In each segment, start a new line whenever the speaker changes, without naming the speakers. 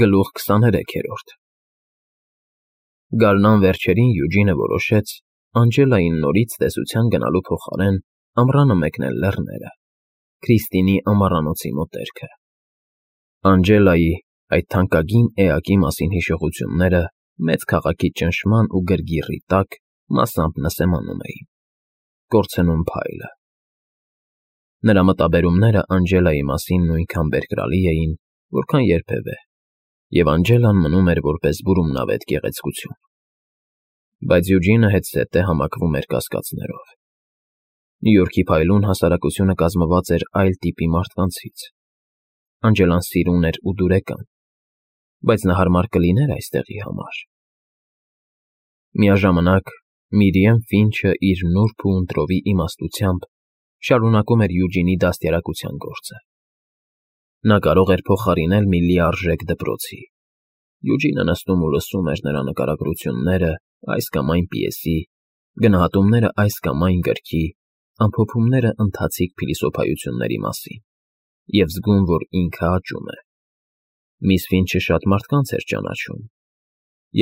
Գլուխ 23-րդ Գարնան վերջերին Յուջինը որոշեց Անջելային նորից տեսության գնալու փոխարեն ամռանը մեկնել լեռները, Քրիստինի ամառանոցի մոտերքը։ Անջելայի այդ թանկագին էակի մասին հիշողությունները մեծ քաղաքի ճնշման ու գրգիռի տակ մասամբ նսեմանում էին, կորցնում փայլը։ Նրա մտաբերումները Անջելայի մասին նույնքան բերկրալի էին, որքան երբևէ, և Անջելան մնում էր որպես բուրումնավետ գեղեցկություն։ Բայց Յուջինը հետզհետե համակվում էր կասկածներով։ Նյու Յորքի փայլուն հասարակությունը կազմված էր այլ տիպի մարդկանցից։ Անջելան սիրուն էր ու դուրեկան, բայց նա հարմար կլիներ այստեղի համար։ Միաժամանակ Միրիեմ Ֆինչը իր նուրբ ու ընտրովի իմաստությամբ շարունակում էր Յուջինի դաստիարակության գործը։ Նա կարող էր փոխարինել մի լիարժեք դպրոցի։ Յուջինը նստում ու լսում էր նրա նկարագրությունները այս կամ այն պիեսի, գնահատումները այս կամ այն գրքի, ամփոփումները ընթացիկ փիլիսոփայությունների մասին, և զգում, որ ինքը աճում է։ Միս Ֆինչը շատ մարդկանց էր ճանաչում,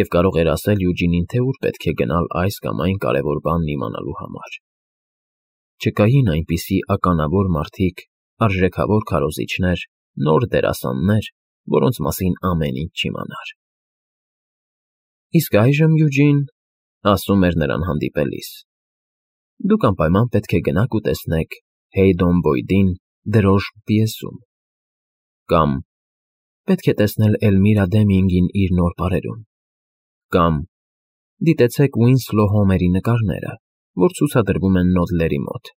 և կարող էր ասել Յուջինին, թե ուր պետք է գնալ այս կամ այն կարևոր բանն իմանալու համար։ Չկային այնպիսի ականավոր մարդիկ, արժեքավոր քարոզիչներ, նոր դերասաններ, որոնց մասին ամեն ինչ չիմանար։ Իսկ այժմ, Յուջին, ասում էր նրան հանդիպելիս, դուք անպայման պետք է գնաք ու տեսնեք Հեյդոն Բոյդին Դրոշմ պիեսում, կամ պետք է տեսնել Էլմիրա Դեմինգին իր նոր պարերում, կամ դիտեցեք Ուինսլո Հոմերի նկարները, որ ցուցադրվում են Նոդլերի մոտ։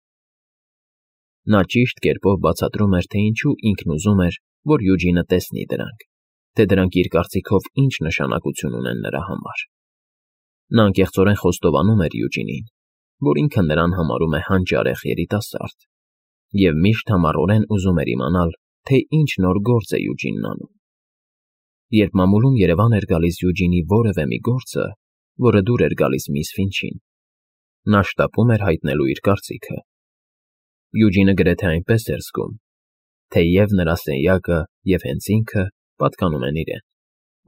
Նա ճիշտ կերպով բացատրում էր, թե ինչու ինքն ուզում էր, որ Յուջինը տեսնի դրանք, թե դրանք իր կարծիքով ինչ նշանակություն ունեն նրա համար։ Նա անկեղծորեն խոստովանում էր Յուջինին, որ ինքը նրան համարում է հանճարեղ երիտասարդ, և միշտ համառորեն ուզում էր իմանալ, թե ինչ նոր գործ է Յուջինն անում։ Երբ մամուլում Երևան էր գալիս Յուջինի որևէ մի գործը, որը դուր էր գալիս միս Ֆինչին, նա շտապում էր հայտնելու իր կարծիքը։ Յուջինը գրեթե այնպես էր զգում, թե և նրա սենյակը, և հենց ինքը պատկանում են իրեն,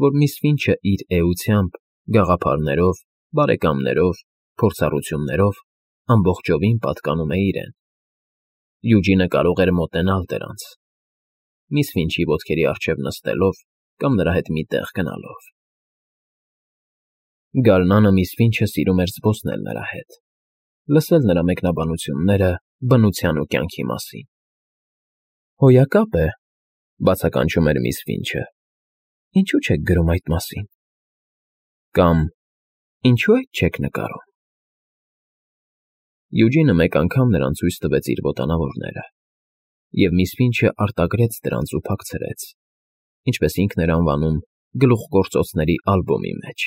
որ միս Ֆինչը իր էությամբ, գաղափարներով, բարեկամներով, փորձառություններով ամբողջովին պատկանում է իրեն։ Յուջինը կարող էր մոտենալ դրանց, միս Ֆինչի ոտքերի առջև նստելով կամ նրա հետ մի տեղ գնալով։ Գարնանը միս Ֆինչը սիրում էր զբոսնել նրա հետ, լսել նրա մեկնաբանությունները բնության ու կյանքի մասին։ Հոյակապ է, բացականչում էր միս Ֆինչը, ինչու չեք գրում այդ մասին։ Կամ ինչու այդ չեք նկարում։ Յուջինը մեկ անգամ նրան ցույց տվեց իր ոտանավորները, և միս Ֆինչը արտագրեց դրանց ու փակցրեց, ինչպես ինքն էր անվանում, գլուխգործոցների ալբոմի մեջ։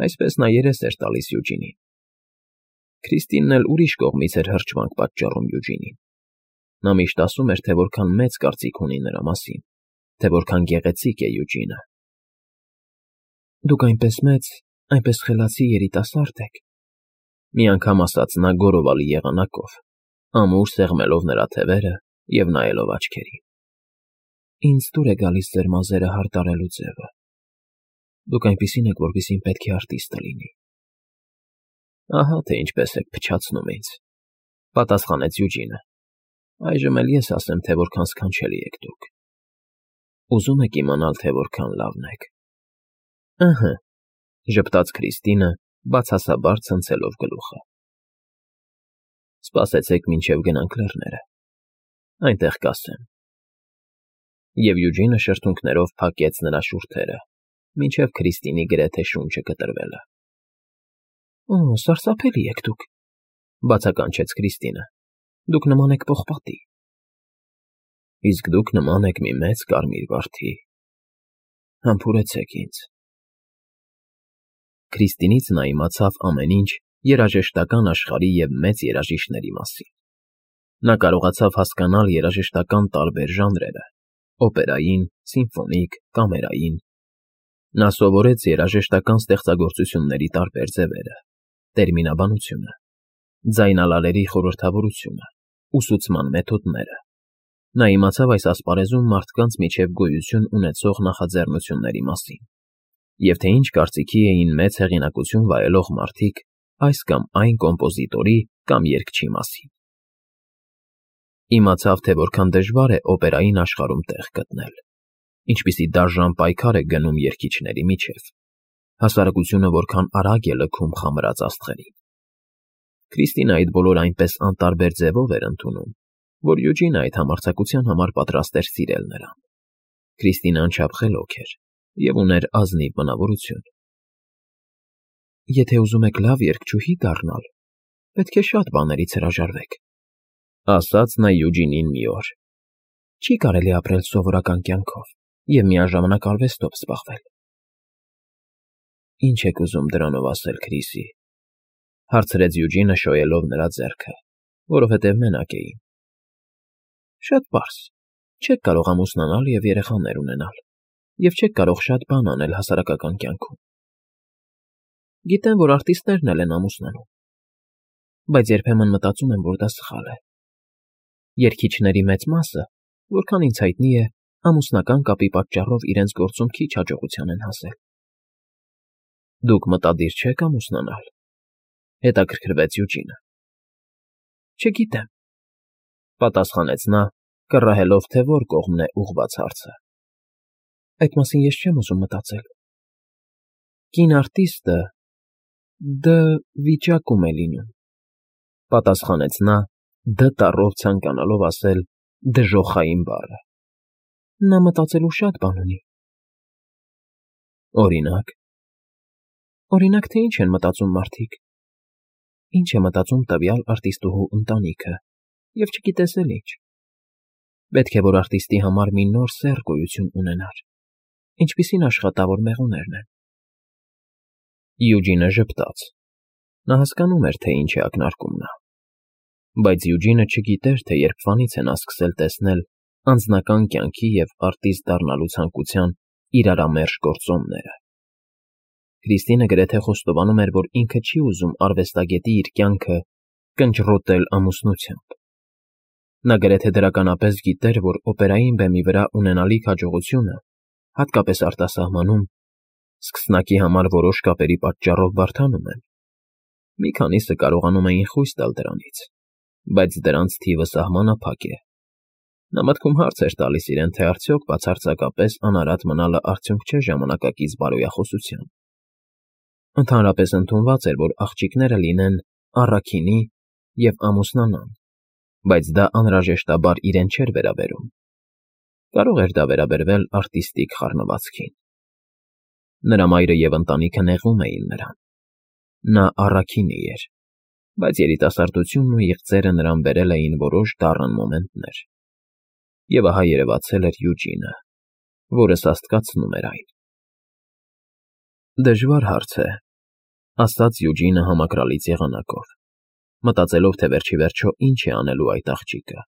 Այսպես նա երես էր տալիս Յուջինին։ Քրիստինն էլ ուրիշ կողմից էր հրճվանք պատճառում Յուջինին։ Նա միշտ ասում էր, թե որքան մեծ կարծիք ունի նրա մասին, թե որքան գեղեցիկ է Յուջինը։ Դուք այնպես մեծ, այնպես խելացի երիտասարդ եք, մի անգամ ասաց նա գոռովալի եղանակով, ամուր սեղմելով նրա թևերը և նայելով աչքերին։ Ինձ դուր է գալիս ձեր մազերը հարդարելու ձևը։ Դուք այնպիսին եք, որպեսզի պետք է արտիստը լինի։ Ահա թե ինչպես եք փչացնում ինձ, պատասխանեց Յուջինը։ Այժմ էլ ես ասեմ, թե որքան սքանչելի եք դուք։ Ուզում եք իմանալ, թե որքան լավն եք։ Ըհը, ժպտաց Քրիստինը, բացասաբար ցնցելով գլուխը։ Սպասեցեք, մինչև գնանք լեռները, այնտեղ կասեմ։ Եվ Յուջինը շրթունքներով փակեց նրա շուրթերը, մինչև Քրիստինի գրեթե շունչը կտրվելը։ Օ, սարսափելի եք դուք, բացականչեց Քրիստինը։ Դուք նման եք պողպատի։ Իսկ դուք նման եք մի մեծ կարմիր վարդի։ Համբուրեցեք ինձ։ Քրիստինից նա իմացավ ամեն ինչ երաժշտական աշխարհի և մեծ երաժիշտների մասին։ Նա կարողացավ հասկանալ երաժշտական տարբեր ժանրերը՝ օպերային, սիմֆոնիկ, կամերային։ Նա սովորեց երաժշտական ստեղծագործությունների տարբեր ձևերը, տերմինաբանությունը, ձայնալարերի խորհրդավորությունը, ուսուցման մեթոդները։ Նա իմացավ այս ասպարեզում մարդկանց միջև գոյություն ունեցող նախաձեռնությունների մասին, և թե ինչ կարծիքի էին մեծ հեղինակություն վայելող մարդիկ այս կամ այն կոմպոզիտորի կամ երգչի մասին։ Իմացավ, թե որքան դժվար է օպերային աշխարհում տեղ գտնել, ինչպիսի դաժան պայքար է գնում երգիչների միջև, հասարակությունը որքան արագ է լքում խամրած աստղերին։ Քրիստինը այդ բոլորը այնպես անտարբեր ձևով էր ընդունում, որ Յուջինը այդ համարձակության համար պատրաստ էր սիրել նրան։ Քրիստինը անչափ խելոք էր և ուներ ազնիվ բնավորություն։ Եթե ուզում եք լավ երգչուհի դառնալ, պետք է շատ բաներից հրաժարվեք, ասաց նա Յուջինին մի օր։ Չի կարելի ապրել սովորական կյանքով և միաժամանակ արվեստով զբաղվել։ Ինչ եք ուզում դրանով ասել, Քրիսի, հարցրեց Յուջինը շոյելով նրա ձեռքը, որովհետև մենակ էին։ Շատ պարզ, չեք կարող ամուսնանալ և երեխաներ ունենալ, և չեք կարող շատ բան անել հասարակական կյանքում։ Գիտեմ, որ արտիստներն էլ են ամուսնանում, բայց երբեմն մտածում եմ, որ դա սխալ է։ Երգիչների մեծ մասը, որքան ինձ հայտնի է, ամուսնական կապի պատճառով իրենց գործում քիչ հաջողության են հասել։ Դուք մտադիր չեք ամուսնանալ, հետաքրքրվեց Յուջինը։ Չգիտեմ, պատասխանեց նա, կռահելով, թե որ կողմն է ուղղված հարցը։ Այդ մասին ես չեմ ուզում մտածել։ Կին արտիստը դ վիճակում է լինում, պատասխանեց նա, դ տառով ցանկանալով ասել դժոխային բառը։ Նա մտածելու շատ բան ունի։ Օրինակ, թե ինչ են մտածում մարդիկ։ Ինչ է մտածում տվյալ արտիստուհու ընտանիքը, և չգիտես էլ ինչ։ Պետք է, որ արտիստի համար մի նոր սեռ գոյություն ունենար, ինչպիսին աշխատավոր մեղուներն են։ Յուջինը ժպտաց։ Նա հասկանում էր, թե ինչ է ակնարկում նա։ Բայց Յուջինը չգիտեր, թե երբվանից է նա սկսել տեսնել անձնական կյանքի և արտիստ դառնալու ցանկության իրարամերժ գործոնները։ Քրիստինը գրեթե խոստովանում էր, որ ինքը չի ուզում արվեստագետի իր կյանքը կնճռոտել ամուսնությամբ։ Նա գրեթե դրականապես գիտեր, որ օպերային բեմի վրա ունենալիք հաջողությունը, հատկապես արտասահմանում, սկսնակի համար որոշ կապերի պատճառով բարդանում են։ Մի քանիսը կարողանում էին խույս տալ դրանից, բայց դրանց թիվը սահմանափակ է։ Նա մտքում հարց էր տալիս իրեն, թե արդյոք բացարձակապես անարատ մնալը արդյունք չէ ժամանակակից բարոյախոսության։ Ընդհանրապես ընդունված էր, որ աղջիկները լինեն առաքինի և ամուսնանան, բայց դա անհրաժեշտաբար իրեն չէր վերաբերում։ Կարող էր դա վերաբերվել արտիստիկ խառնվածքին։ Նրա մայրը և ընտանիքը նեղում էին նրան։ Նա առաքինի էր, բայց երիտասարդությունն ու իղձերը նրան բերել էին որոշ դառն մոմենտներ։ Եվ ահա երևացել էր Յուջինը, որը սաստկացնում էր այն։ Դժվար հարց է, ասաց Յուջինը համակրալից եղանակով, մտածելով, թե վերջիվերջո ինչ է անելու այդ աղջիկը։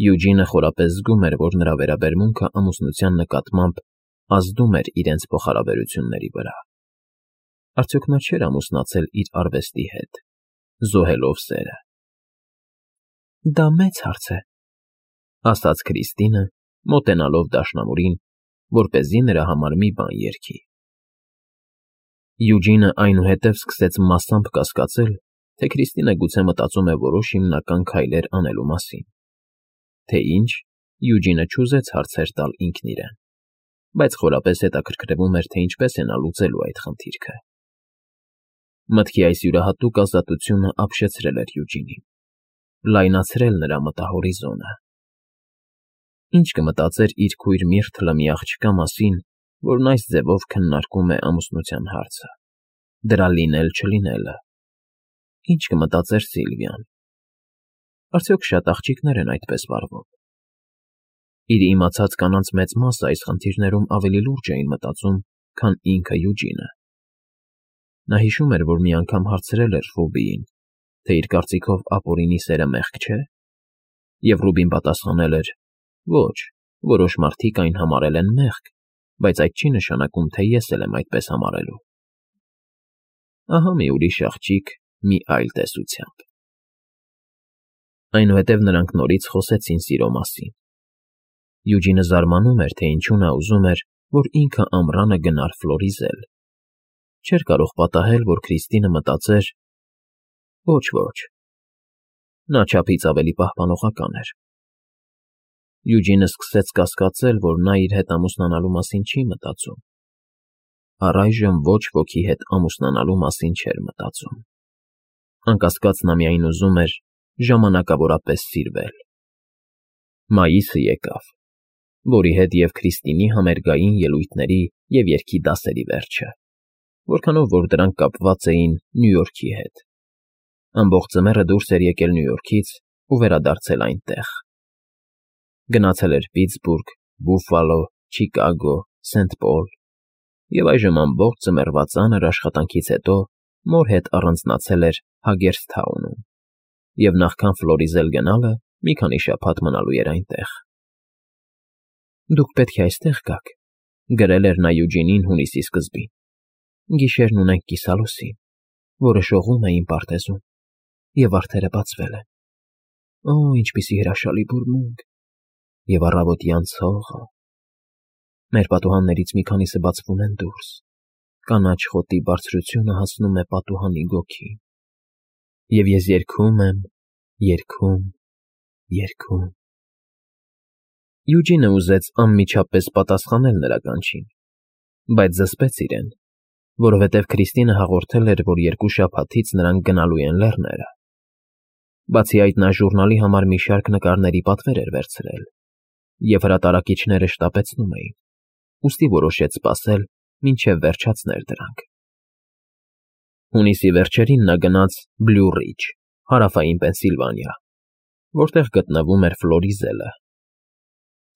Յուջինը խորապես զգում էր, որ նրա վերաբերմունքը ամուսնության նկատմամբ ազդում էր իրենց փոխհարաբերությունների վրա։ Արդյոք նա չէր ամուսնացել իր արվեստի հետ, զոհելով սերը։ Դա մեծ հարց է, ասաց Քրիստինը, մոտենալով դաշնամուրին, որպեսզի նրա համար մի բան երգի։ Յուջինը այնուհետև սկսեց մասամբ կասկածել, թե Քրիստինը գուցե մտածում է որոշ հիմնական քայլեր անելու մասին։ Թե ինչ, Յուջինը չուզեց հարցեր տալ ինքն իրեն, բայց խորապես հետաքրքրվում էր, թե ինչպես է նա լուծելու այդ խնդիրքը։ Մտքի այս յուրահատուկ ազատությունը ապշեցրել էր Յուջինին, լայնացրել նրա մտահորիզոնը։ Ինչ կմտածեր իր քույր Միրթլը մի աղջկա մասին, որն այս ձևով քննարկում է ամուսնության հարցը, դրա լինել-չլինելը։ Ինչ կմտածեր Սիլվիան։ Արդյոք շատ աղջիկներ են այդպես վարվում։ Իր իմացած կանանց մեծ մասը այս խնդիրներում ավելի լուրջ էին մտածում, քան ինքը Յուջինը։ Նա հիշում էր, որ մի անգամ հարցրել էր Ռուբիին, թե իր կարծիքով ապօրինի սերը մեղք չէ, և Ռուբին պատասխանել էր. ոչ, որոշ մարդիկ այն համարել են մեղք, բայց այդ չի նշանակում, թե ես էլ եմ այդպես համարելու։ Ահա մի ուրիշ աղջիկ մի այլ տեսությամբ։ Այնուհետև նրանք նորից խոսեցին սիրո մասին։ Յուջինը զարմանում էր, թե ինչու նա ուզում էր, որ ինքը ամռանը գնար Ֆլորիզել։ Չէր կարող պատահել, որ Քրիստինը մտածեր. ոչ, նա չափից ավելի պահպանողական էր։ Յուջինը սկսեց կասկածել, որ նա իր հետ ամուսնանալու մասին չի մտածում։ Առայժմ ոչ ոքի հետ ամուսնանալու մասին չէր մտածում։ Անկասկած նա միայն ուզում էր ժամանակավորապես սիրվել։ Մայիսը եկավ, որի հետ և Քրիստինի համերգային ելույթների և երգի դասերի վերջը, որքանով որ դրանք կապված էին Նյու Յորքի հետ։ Ամբողջ ձմեռը դուրս էր եկել Նյու Յորքից ու վերադարձել այնտեղ։ Գնացել էր Պիտսբուրգ, Բուֆալո, Չիկագո, Սենթ Պոլ և այժմ ամբողջ ձմեռվա ծանր աշխատանքից հետո մոր հետ առանձնացել էր Հագերսթաունում և նախքան Ֆլորիզել գնալը մի քանի շաբաթ մնալու էր այնտեղ։ «Դուք պետք է այստեղ գաք», գրել էր նա Յուջինին հունիսի սկզբին։ «Գիշերն ունենք կիսալուսին, որը շողում է իմ պարտեզում, և վարդերը բացվել են։ Օ, ինչպիսի հրաշալի բուրմունք, և առավոտյան ցողը։ Մեր պատուհաններից մի քանիսը բացվում են դուրս, կանաչ խոտի բարձրությունը հասնում է պատուհանի գոգին, և ես երգում եմ, երգում։ Յուջինը ուզեց անմիջապես պատասխանել նրա կանչին, բայց զսպեց իրեն, որովհետև Քրիստինը հաղորդել էր, որ 2 շաբաթից նրանք գնալու են լեռները։ Բացի այդ, նա ժուրնալի համար մի շարք նկարների պատվեր էր վերցրել, և հրատարակիչները շտապեցնում էին, ուստի որոշեց սպասել, մինչև վերջացներ դրանք։ Հունիսի վերջերին նա գնաց Բլյու Ռիջ, հարավային Պենսիլվանիա, որտեղ գտնվում էր Ֆլորիզելը։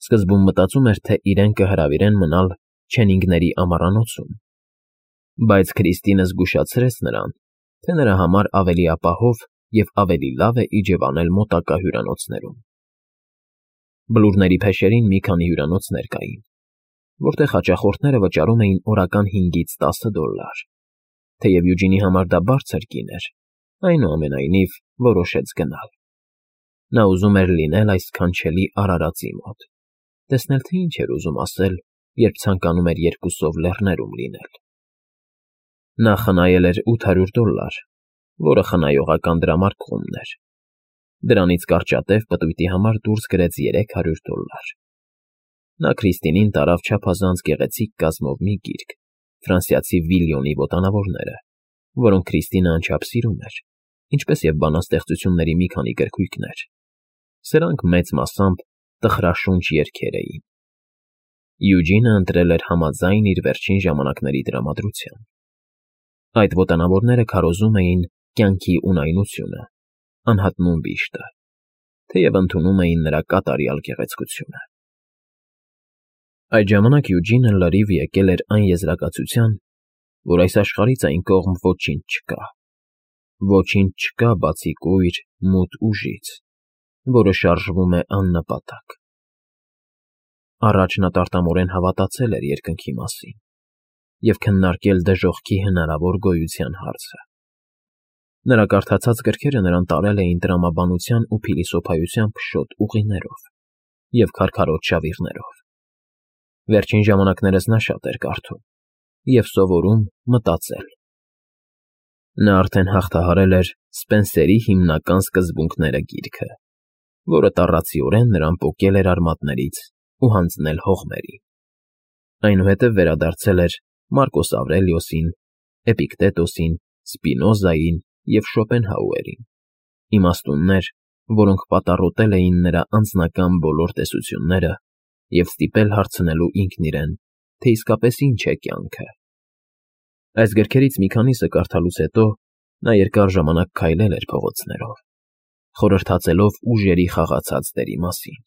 Սկզբում մտածում էր, թե իրեն կհրավիրեն մնալ Չենինգների ամառանոցում, բայց Քրիստինը զգուշացրեց նրան, թե նրա համար ավելի ապահով և ավելի լավ է իջևանել մոտակա հյուրանոցներում։ Բլուրների փեշերին մի քանի հյուրանոցներ կային, որտեղ հաճախորդները վճարում էին օրական $5-10, թեև Յուջինի համար դա բարձր գին էր, այնուամենայնիվ որոշեց գնալ։ Նա ուզում էր լինել այս սքանչելի արարածի մոտ, տեսնել, թե ինչ էր ուզում ասել, երբ ցանկանում էր երկուսով լեռներում լինել։ Նա խնայել էր $800, որը խնայողական դրամարկղումն էր։ Դրանից կարճատև պտույտի համար դուրս գրեց $300։ Նա Քրիստինին տարավ չափազանց գեղեցիկ կազմով մի գիրք, ֆրանսիացի Վիլյոնի ոտանավորները, որոնք Քրիստինը անչափ սիրում էր, ինչպես և բանաստեղծությունների մի քանի գրքույկներ։ Սրանք մեծ մասամբ տխրաշունչ երգեր էին։ Յուջինը ընտրել էր համաձայն իր վերջին ժամանակների տրամադրության։ Այդ ոտանավորները քարոզում էին կյանքի ունայնությունը, անհատնում վիշտը, թեև ընդունում էին նրա կատարյալ գեղեցկությունը։ Այդ ժամանակ Յուջինը լրիվ եկել էր այն եզրակացության, որ այս աշխարհից այն կողմ ոչինչ չկա։ Ոչինչ չկա բացի կույր, մութ ուժից, որը շարժվում է աննպատակ։ Առաջ նա տարտամորեն հավատացել էր երկնքի մասին և քննարկել դժոխքի հնարավոր գոյության հարցը։ Նրա կարդացած գրքերը նրան տարել էին տրամաբանության ու փիլիսոփայության փշոտ ուղիներով և քարքարոտ շավիղներով։ Վերջին ժամանակներս նա շատ էր կարդում և սովորում մտածել։ Նա արդեն հաղթահարել էր Սպենսերի հիմնական սկզբունքները գիրքը, որը տառացիորեն նրան պոկել էր արմատներից ու հանձնել հողմերի։ Այնուհետև վերադարձել էր Մարկոս Ավրելիոսին, Էպիկտետոսին, Սպինոզային և Շոպենհաուերին, իմաստուններ, որոնք պատառոտել էին նրա անձնական բոլոր տեսությունները և ստիպել հարցնելու ինքն իրեն, թե իսկապես ինչ է կյանքը։ Այս գրքերից մի քանիսը կարդալուց հետո նա երկար ժամանակ քայլել էր փողոցներով, խորհրդածելով ուժերի խաղացած դերի մասին,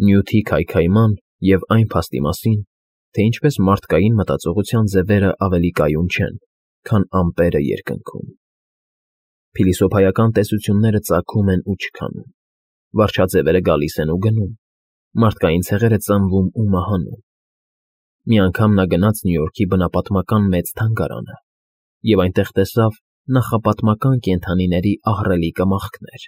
նյութի քայքայման և այն փաստի մասին, թե ինչպես մարդկային մտածողության ձևերը ավելի կայուն չեն, քան ամպերը երկնքում։ Փիլիսոփայական տեսությունները ծագում են ու չքանում, վարչաձևերը գալիս են ու գնում, մարդկային ցեղերը ծնվում ու մահանում։ Մի անգամ նա գնաց Նյու Յորքի բնապատմական մեծ թանգարանը և այնտեղ տեսավ նախապատմական կենդանիների ահռելի կմախքներ,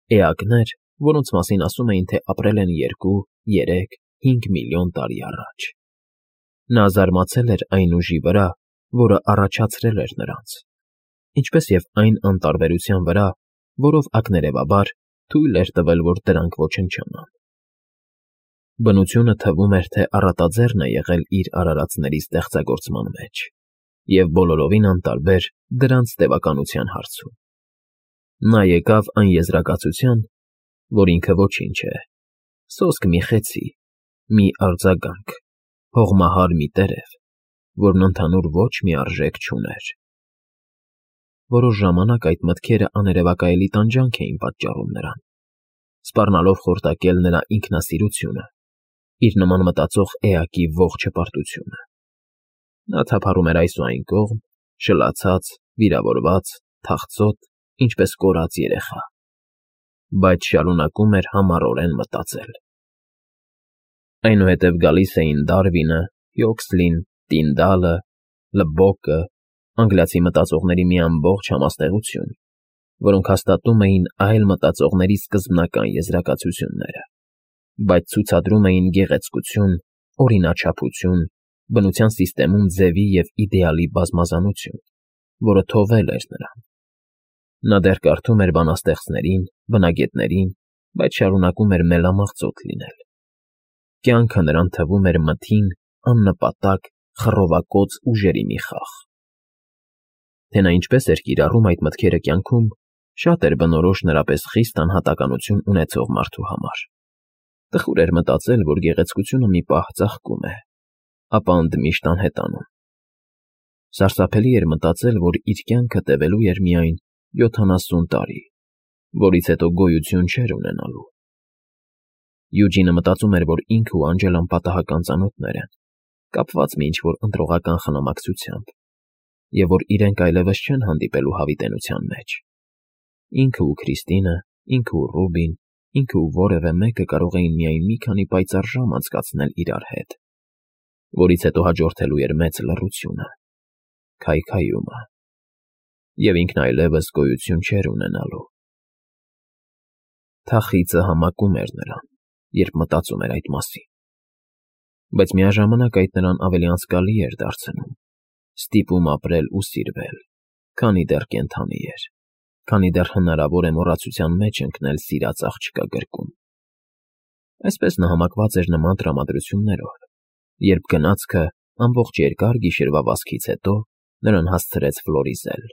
Էակներ, որոնց մասին ասում էին, թե ապրել են 2, 3, 5 միլիոն տարի առաջ։ Նա զարմացել էր այն ուժի վրա, որը առաջացրել էր նրանց, ինչպես և այն անտարբերության վրա, որով ակներևաբար թույլ էր տվել, որ դրանք ոչնչանան։ Բնությունը թվում էր, թե առատաձեռն է եղել իր արարածների ստեղծագործման մեջ և բոլորովին անտարբեր դրանց տևականության հարցում։ Նա եկավ այն եզրակացության, որ ինքը ոչինչ է, սոսկ մի խեցի, մի արձագանք, հողմահար մի տերև, որն ընդհանուր ոչ մի արժեք չուներ։ Որոշ ժամանակ այդ մտքերը աներևակայելի տանջանք էին պատճառում նրան, սպառնալով խորտակել նրա ինքնասիրությունը, իր նման մտածող էակի ողջ հպարտությունը։ Նա թափառում էր այս ու այն կողմ, շլացած, վիրավորված, թախծոտ, ինչպես կորած երեխա, բայց շարունակում էր համառորեն մտածել։ Այնուհետև գալիս էին Դարվինը, Հյուքսլին, Տինդալը, Լբոկը, անգլիացի մտածողների մի ամբողջ համաստեղություն, որոնք հաստատում էին այլ մտածողների սկզբնական եզրակացությունները, բայց ցուցադրում էին գեղեցկություն, օրինաչափություն, բնության սիստեմում ձևի և իդեալի բազմազանություն, որը թովել էր նրան։ Նա դեռ կարդում էր բանաստեղծներին, բնագետներին, բայց շարունակում էր մելամաղձոտ լինել։ Կյանքը նրան թվում էր մթին, աննպատակ, խռովակոծ ուժերի մի խաղ։ Թե նա ինչպես էր կիրառում այդ մտքերը կյանքում, շատ էր բնորոշ նրա պես խիստ անհատականություն ունեցող մարդու համար։ Տխուր էր մտածել, որ գեղեցկությունը մի պահ ծաղկում է, ապա ընդմիշտ անհետանում։ Սարսափելի էր մտածել, որ իր կյանքը տևելու էր միայն 70 տարի, որից հետո գոյություն չէր ունենալու։ Յուջինը մտածում էր, որ ինքը ու Անջելան պատահական ծանոթներ են, կապված մի ինչ-որ ընտրողական խնամակցությամբ, և որ իրենք այլևս չեն հանդիպելու հավիտենության մեջ։ Ինքը ու Քրիստինը, ինքը ու Ռուբին, ինքը ու որևէ մեկը կարող էին միայն մի քանի պայծառ ժամ անցկացնել իրար հետ, որից հետո հաջորդելու էր մեծ լռությունը, քայքայումը, և ինքն այլևս գոյություն չէր ունենալու։ Թախիծը համակում էր նրան, երբ մտածում էր այդ մասին, բայց միաժամանակ այդ նրան ավելի անցկալի էր դարձնում, ստիպում ապրել ու սիրվել, քանի դեռ կենդանի էր, քանի դեռ հնարավոր է մոռացության մեջ ընկնել սիրած աղջկա գրկում։ Այսպես նա համակված էր նման տրամադրություններով, երբ գնացքը ամբողջ երկար գիշերվա վազքից հետո նրան հասցրեց Ֆլորիզել,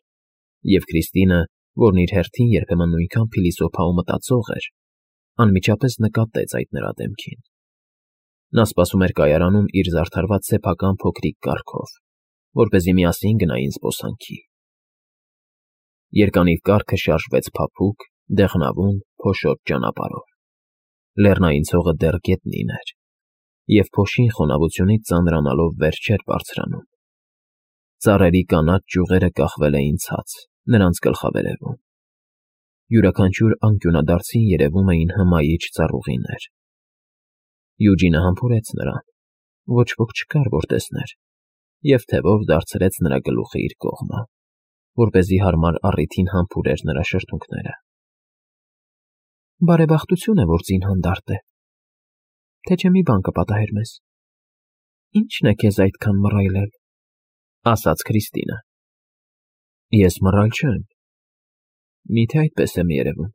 և Քրիստինը, որն իր հերթին երբեմն նույնքան փիլիսոփա ու մտածող էր, անմիջապես նկատեց այդ նրա դեմքին։ Նա սպասում էր կայարանում իր զարդարված սեփական փոքրիկ կառքով, որպեսզի միասին գնային զբոսանքի։ Երկանիվ կառքը շարժվեց փափուկ, դեղնավուն, փոշոտ ճանապարհով։ Լեռնային ցողը դեռ գետնին էր, և փոշին խոնավությունից ծանրանալով վեր չէր բարձրանում։ Ծառերի կանաչ ճյուղերը կախվել էին ցած, նրանց գլխավերևում։ Յուրաքանչյուր անկյունադարձին երևում էին հմայիչ ծառուղիներ։ Յուջինը համբուրեց նրան, ոչ ոք չկար, որ տեսներ, և թևով դարձրեց նրա գլուխը իր կողմը, որպեսզի հարմար առիթին համբուրեր նրա շրթունքները։ Բարեբախտություն է, որ ձին հանդարտ է, թե չէ մի բան կպատահեր մեզ։ Ի՞նչն է քեզ այդքան մռայլել, ասաց Քրիստինը։ Ես մռայլ չեմ։ Միթե այդպես եմ երևում։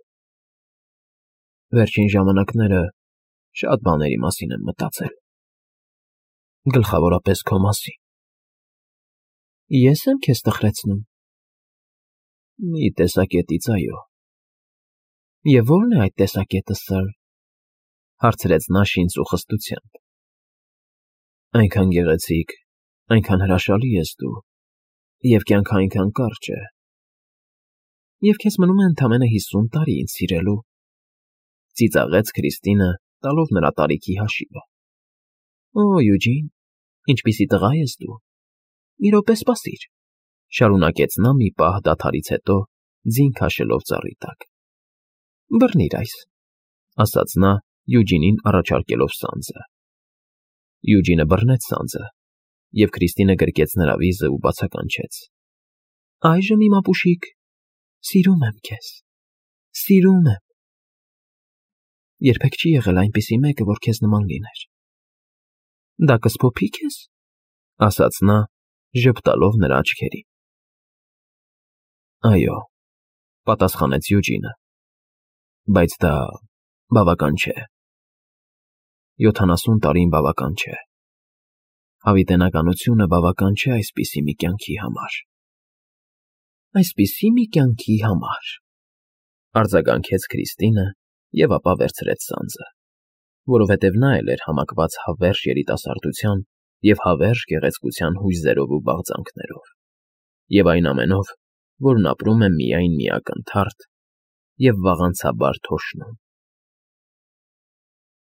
Վերջին ժամանակները շատ բաների մասին եմ մտածել, գլխավորապես քո մասին։ Ես եմ քեզ տխրեցնում։ Մի տեսակետից, այո։ Եվ ո՞րն է այդ տեսակետը, սըր, հարցրեց նա շինծուխստությամբ։ Այնքան գեղեցիկ, այնքան հրաշալի ես դու, և կյանքը այնքան կարճ է։ Եվ քեզ մնում է ընդամենը 50 տարի ինձ սիրելու, ծիծաղեց Քրիստինը, տալով նրա տարիքի հաշիվը։ Օ, Յուջին, ինչպիսի տղա ես դու։ Մի րոպե սպասիր, շարունակեց նա մի պահ դադարից հետո, ձին քաշելով ծառի տակ։ Բռնիր այս, ասաց նա, Յուջինին առաջարկելով սանձը։ Յուջինը բռնեց սանձը, և Քրիստինը գրկեց նրա վիզը ու բացականչեց. Այժմ իմ ապուշիկ, սիրում եմ քեզ, սիրում եմ։ Երբեք չի եղել այնպիսի մեկը, որ քեզ նման լիներ։ Դա կսփոփի քեզ, ասաց նա, ժպտալով նրա աչքերին։ Այո, պատասխանեց Յուջինը, բայց դա բավական չէ։ 70 տարին բավական չէ։ Հավիտենականությունը բավական չէ այսպիսի մի կյանքի համար։ Այսպիսի մի կյանքի համար, արձագանքեց Քրիստինը և ապա վերցրեց սանձը, որովհետև նա էլ էր համակված հավերժ երիտասարդության և հավերժ գեղեցկության հույզերով ու բաղձանքներով, և այն ամենով, որն ապրում է միայն մի ակնթարթ և վաղանցաբար թոշնում։